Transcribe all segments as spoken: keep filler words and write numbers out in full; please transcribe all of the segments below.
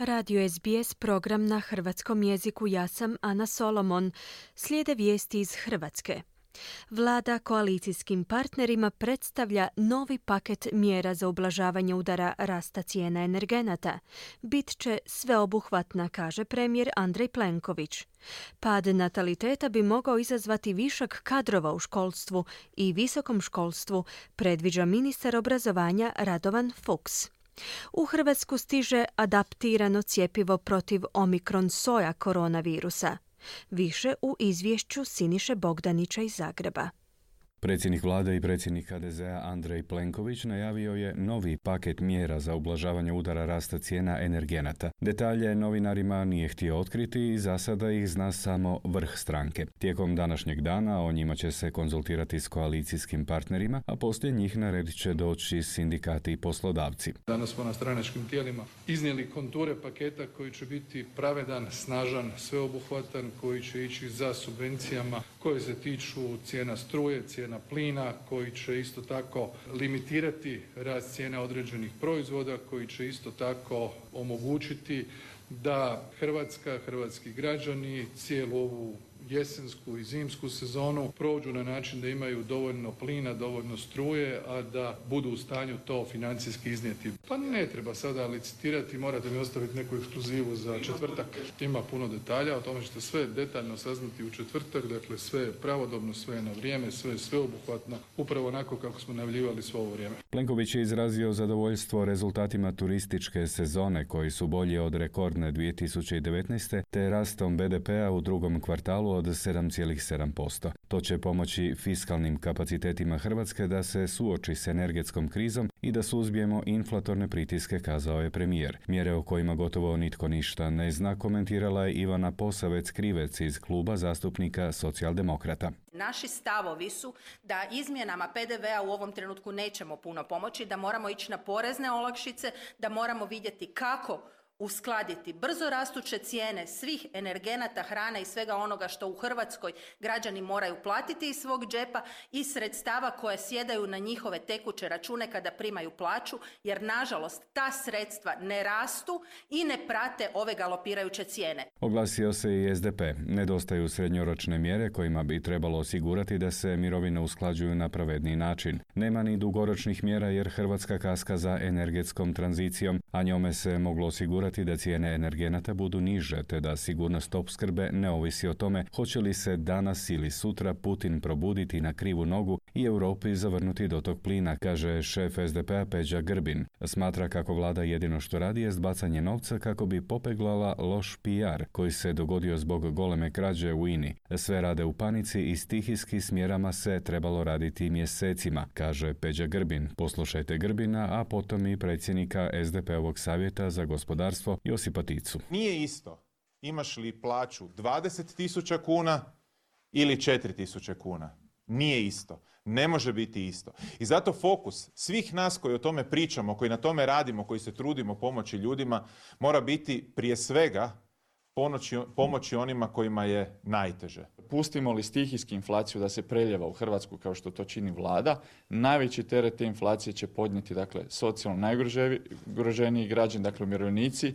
Radio S B S program na hrvatskom jeziku. Ja sam Ana Solomon. Slijede vijesti iz Hrvatske. Vlada koalicijskim partnerima predstavlja novi paket mjera za ublažavanje udara rasta cijena energenata. Bit će sveobuhvatna, kaže premijer Andrej Plenković. Pad nataliteta bi mogao izazvati višak kadrova u školstvu i visokom školstvu, predviđa ministar obrazovanja Radovan Fuchs. U Hrvatsku stiže adaptirano cjepivo protiv omikron soja koronavirusa. Više u izvješću Siniše Bogdanića iz Zagreba. Predsjednik vlade i predsjednik H D Z-a Andrej Plenković najavio je novi paket mjera za ublažavanje udara rasta cijena energenata. Detalje novinarima nije htio otkriti i za sada ih zna samo vrh stranke. Tijekom današnjeg dana o njima će se konzultirati s koalicijskim partnerima, a poslije njih na red će doći sindikati i poslodavci. Danas smo na stranačkim tijelima iznijeli konture paketa koji će biti pravedan, snažan, sveobuhvatan, koji će ići za subvencijama koje se tiču cijena struje, cijena plina, koji će isto tako limitirati rast cijena određenih proizvoda, koji će isto tako omogućiti da Hrvatska, hrvatski građani cijelu ovu jesensku i zimsku sezonu prođu na način da imaju dovoljno plina, dovoljno struje, a da budu u stanju to financijski iznijeti. Pa ne treba sada licitirati, morate mi ostaviti neku ekskluzivu za četvrtak. Ima puno detalja, o tome ćete sve detaljno saznati u četvrtak, dakle sve pravodobno, sve na vrijeme, sve sveobuhvatno, upravo onako kako smo najavljivali svo ovo vrijeme. Plenković je izrazio zadovoljstvo rezultatima turističke sezone koji su bolji od rekordne dvije tisuće devetnaeste te rastom B D P-a u drugom kvartalu od sedam zarez sedam posto. To će pomoći fiskalnim kapacitetima Hrvatske da se suoči s energetskom krizom i da suzbijemo inflatorne pritiske, kazao je premijer. Mjere o kojima gotovo nitko ništa ne zna komentirala je Ivana Posavec-Krivec iz kluba zastupnika Socijaldemokrata. Naši stavovi su da izmjenama P D V-a u ovom trenutku nećemo puno pomoći, da moramo ići na porezne olakšice, da moramo vidjeti kako uskladiti brzo rastuće cijene svih energenata, hrane i svega onoga što u Hrvatskoj građani moraju platiti iz svog džepa i sredstava koje sjedaju na njihove tekuće račune kada primaju plaću, jer nažalost ta sredstva ne rastu i ne prate ove galopirajuće cijene. Oglasio se i S D P. Nedostaju srednjoročne mjere kojima bi trebalo osigurati da se mirovine usklađuju na pravedniji način. Nema ni dugoročnih mjera jer Hrvatska kaska za energetskom tranzicijom, a njome se moglo osigurati da cijene energenata budu niže, te da sigurnost opskrbe ne ovisi o tome hoće li se danas ili sutra Putin probuditi na krivu nogu i Europi zavrnuti dotok plina, kaže šef S D P-a Peđa Grbin. Smatra kako vlada jedino što radi jest bacanje novca kako bi popeglala loš P R koji se dogodio zbog goleme krađe u I N I. Sve rade u panici i stihijski s mjerama se trebalo raditi mjesecima, kaže Peđa Grbin. Poslušajte Grbina, a potom i predsjednika S D P-ovog savjeta za gospodarstvo Josipa Ticu. Nije isto imaš li plaću dvadeset tisuća kuna ili četiri tisuće kuna. Nije isto. Ne može biti isto. I zato fokus svih nas koji o tome pričamo, koji na tome radimo, koji se trudimo pomoći ljudima, mora biti prije svega pomoći, pomoći onima kojima je najteže. Pustimo li stihijski inflaciju da se preljeva u Hrvatsku kao što to čini vlada, najveći teret te inflacije će podnijeti dakle, socijalno najugroženiji građani, dakle umirovljenici,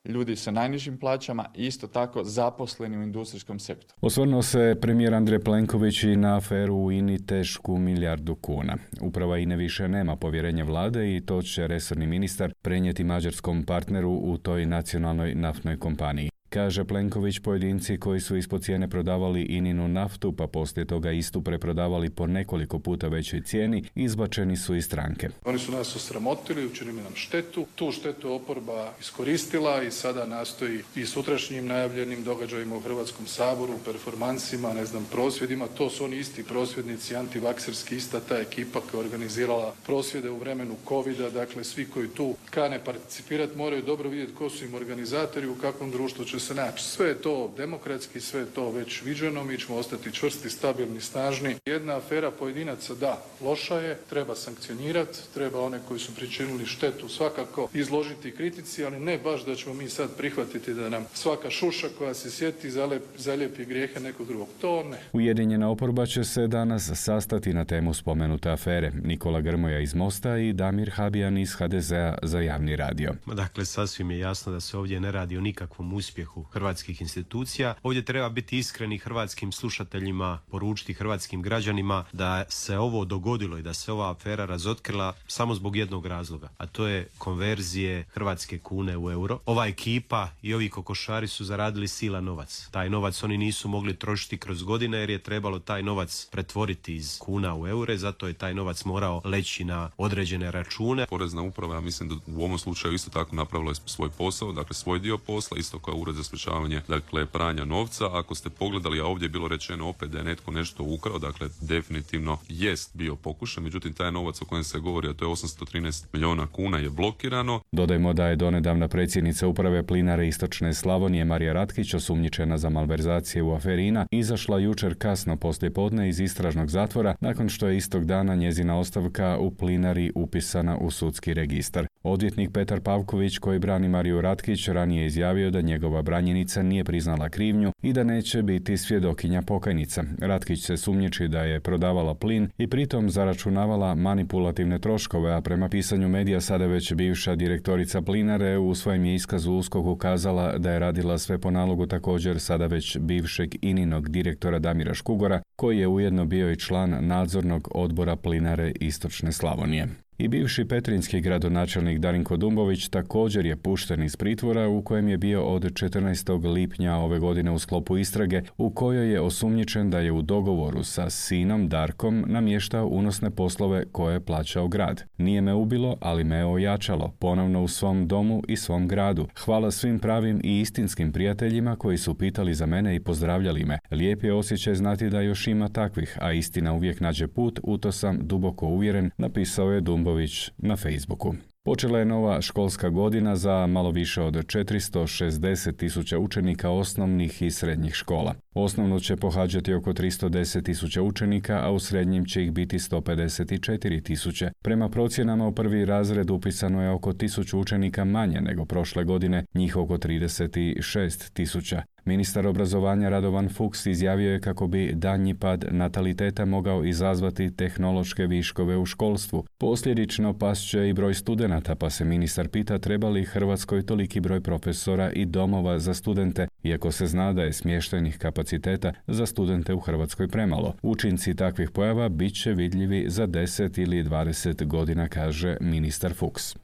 ljudi sa najnižim plaćama i isto tako zaposleni u industrijskom sektoru. Osvrnuo se premijer Andrej Plenković i na aferu u I N I tešku milijardu kuna. Uprava I N E više nema povjerenja vlade i to će resorni ministar prenijeti mađarskom partneru u toj nacionalnoj naftnoj kompaniji. Kaže Plenković, pojedinci koji su ispod cijene prodavali I N I-nu naftu, pa poslije toga istu preprodavali po nekoliko puta većoj cijeni, izbačeni su iz stranke. Oni su nas osramotili, učinili nam štetu. Tu štetu je oporba iskoristila i sada nastoji i sutrašnjim najavljenim događajima u Hrvatskom saboru, performansima, ne znam, prosvjedima. To su oni isti prosvjednici, antivakserski, ista ta ekipa koja je organizirala prosvjede u vremenu covida. Dakle, svi koji tu kane participirati moraju dobro vidjeti ko su im organizatori, u kakvom društvu će se naći. Sve je to demokratski, sve je to već viđeno, mi ćemo ostati čvrsti, stabilni, snažni. Jedna afera pojedinaca, da, loša je, treba sankcionirati, treba one koji su pričinili štetu svakako izložiti kritici, ali ne baš da ćemo mi sad prihvatiti da nam svaka šuša koja se sjeti zalijepi grijehe nekog drugog. To ne. Ujedinjena oporba će se danas sastati na temu spomenute afere. Nikola Grmoja iz Mosta i Damir Habijan iz ha de zea za Javni radio. Dakle, sasvim je jasno da se ovdje ne radi o nikakvom uspjehu hrvatskih institucija. Ovdje treba biti iskreni hrvatskim slušateljima, poručiti hrvatskim građanima da se ovo dogodilo i da se ova afera razotkrila samo zbog jednog razloga, a to je konverzije hrvatske kune u euro. Ova ekipa i ovi kokošari su zaradili silan novac. Taj novac oni nisu mogli trošiti kroz godine jer je trebalo taj novac pretvoriti iz kuna u eure, zato je taj novac morao leći na određene račune. Porezna uprava, ja mislim da u ovom slučaju isto tako napravila svoj posao, dakle svoj dio posla, isto kao Ured za sprječavanje dakle pranja novca. Ako ste pogledali, a ovdje je bilo rečeno opet da je netko nešto ukrao, dakle definitivno jest bio pokušaj, međutim taj novac o kojem se govori, a to je osamsto trinaest milijuna kuna, je blokirano. Dodajmo da je donedavna predsjednica uprave Plinare Istočne Slavonije Marija Ratkić, osumnjičena za malverzacije u aferi INA, izašla jučer kasno poslijepodne iz istražnog zatvora nakon što je istog dana njezina ostavka u Plinari upisana u sudski registar. Odvjetnik Petar Pavković, koji brani Mariju Ratkić, ranije izjavio da njegova branjenica nije priznala krivnju i da neće biti svjedokinja pokajnica. Ratkić se sumnjiči da je prodavala plin i pritom zaračunavala manipulativne troškove, a prema pisanju medija sada već bivša direktorica Plinare u svojem je iskazu USKOK-u kazala da je radila sve po nalogu također sada već bivšeg ininog direktora Damira Škugora, koji je ujedno bio i član nadzornog odbora Plinare Istočne Slavonije. I bivši petrinjski gradonačelnik Darinko Dumbović također je pušten iz pritvora u kojem je bio od četrnaestog lipnja ove godine u sklopu istrage u kojoj je osumnjičen da je u dogovoru sa sinom Darkom namještao unosne poslove koje je plaćao grad. Nije me ubilo, ali me je ojačalo, ponovno u svom domu i svom gradu. Hvala svim pravim i istinskim prijateljima koji su pitali za mene i pozdravljali me. Lijep je osjećaj znati da još ima takvih, a istina uvijek nađe put, u to sam duboko uvjeren, napisao je Dumbović na Facebooku. Počela je nova školska godina za malo više od četiristo šezdeset tisuća učenika osnovnih i srednjih škola. Osnovno će pohađati oko tristo deset tisuća učenika, a u srednjim će ih biti sto pedeset četiri tisuće. Prema procjenama u prvi razred upisano je oko tisuću učenika manje nego prošle godine, njih oko trideset šest tisuća. Ministar obrazovanja Radovan Fuchs izjavio je kako bi daljnji pad nataliteta mogao izazvati tehnološke viškove u školstvu. Posljedično pasće i broj studenata, pa se ministar pita treba li Hrvatskoj toliki broj profesora i domova za studente, iako se zna da je smještajnih kapaciteta za studente u Hrvatskoj premalo. Učinci takvih pojava bit će vidljivi za deset ili dvadeset godina, kaže ministar Fuchs.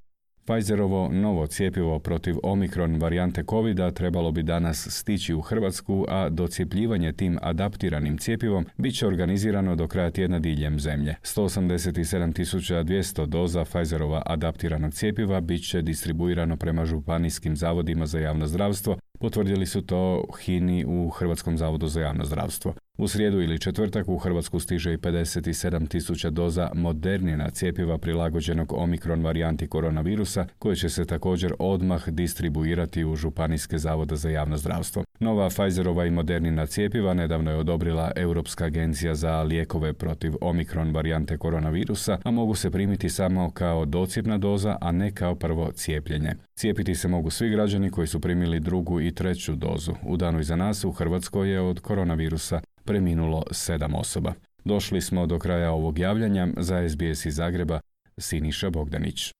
Pfizerovo novo cjepivo protiv omikron varijante covida trebalo bi danas stići u Hrvatsku, a docjepljivanje tim adaptiranim cjepivom bit će organizirano do kraja tjedna diljem zemlje. sto osamdeset sedam tisuća dvjesto doza Pfizerova adaptiranog cjepiva bit će distribuirano prema županijskim zavodima za javno zdravstvo, potvrdili su to H I N I u Hrvatskom zavodu za javno zdravstvo. U srijedu ili četvrtak u Hrvatsku stiže i pedeset sedam tisuća doza Modernina cjepiva prilagođenog omikron varijanti koronavirusa, koje će se također odmah distribuirati u županijske zavode za javno zdravstvo. Nova Pfizerova i Modernina cjepiva nedavno je odobrila Europska agencija za lijekove protiv omikron varijante koronavirusa, a mogu se primiti samo kao docjepna doza, a ne kao prvo cijepljenje. Cijepiti se mogu svi građani koji su primili drugu i treću dozu. U danu iza nas u Hrvatskoj je od koronavirusa preminulo sedam osoba. Došli smo do kraja ovog javljanja. Za S B S iz Zagreba, Siniša Bogdanić.